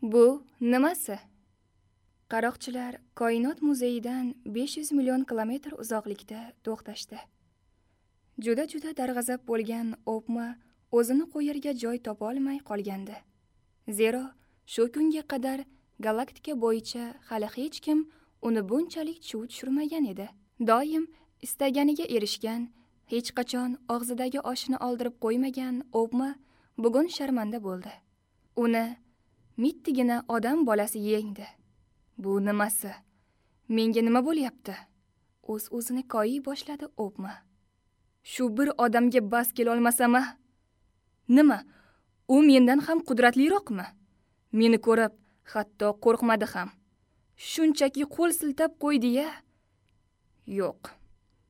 Bu nimasi? Qaroqchilar Koinot muzeyidan 500 million kilometr uzoqlikda to'xtashdi. Juda-juda darg'azab bo'lgan Obma o'zini qo'yarga joy topa olmay qolgandi. Zero shu kunga qadar galaktika bo'yicha hali hech kim uni bunchalik chuv tushirmagan edi. Doim istaganiga erishgan, hech qachon og'zidagi oshini oldirib qo'ymagan Obma bugun sharmanda bo'ldi. Uni mittigina odam bolasi yengdi. Bu nimasi? Menga nima bo'lyapti? O'z-o'zini koyiy boshladi Obma. Shu bir odamga bas kelolmasam-a? Nima? U mendan ham qudratliroqmi? Meni ko'rib, hatto qo'rqmadi ham. Shunchaki qo'l siltab qo'ydi-ya. Yo'q.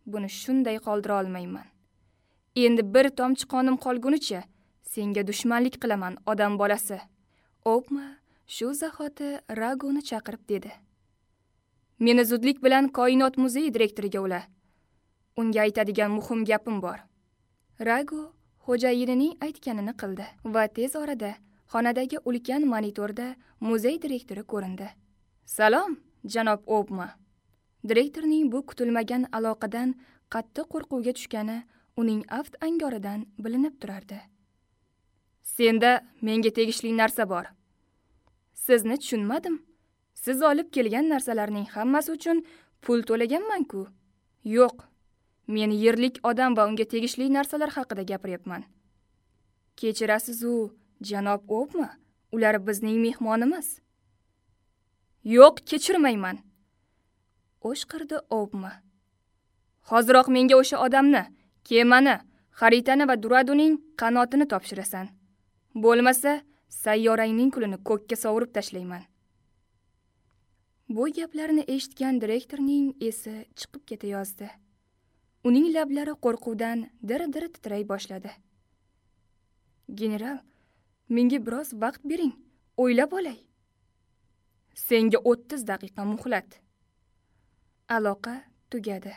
Buni shunday qoldira olmayman. Endi bir tomchi qonim qolgunicha senga dushmanlik qilaman, odam bolasi. Obma shu zahoti Ragoni chaqirib dedi. Meni zudlik bilan Koinot muzeyi direktoriga ula. Unga aytadigan muhim gapim bor. Rago xo'jayinining aytganini qildi va tez orada xonadagi ulkan monitorda muzey direktori ko'rindi. Salom, janob Obma. Direktorning bu kutilmagan aloqadan qattiq qo'rquvga tushgani uning aft angoridan bilinib turardi. Senda menga tegishli narsa bor. Sizni tushunmadim. Siz olib kelgan narsalarning hammasi uchun pul to'laganman-ku. Yo'q. Men yerlik odam va unga tegishli narsalar haqida gapiryapman. Kechirasiz-u, janob Obma, ular bizning mehmonimiz. Yo'q, kechirmayman. O'shqirdi Obma. Hoziroq menga o'sha odamni, kemani, xaritani va Duraduning qanotini topshirasan. Bo'lmasa, sayyorangning kulini ko'kka sovurib tashlayman. Bu gaplarni eshitgan direktorning esi chiqib ketayozdi. Uning lablari qo'rquvdan dir-dir titray boshladi. General, menga biroz vaqt bering, o'ylab olay. Senga 30 daqiqa muhlat. Aloqa tugadi.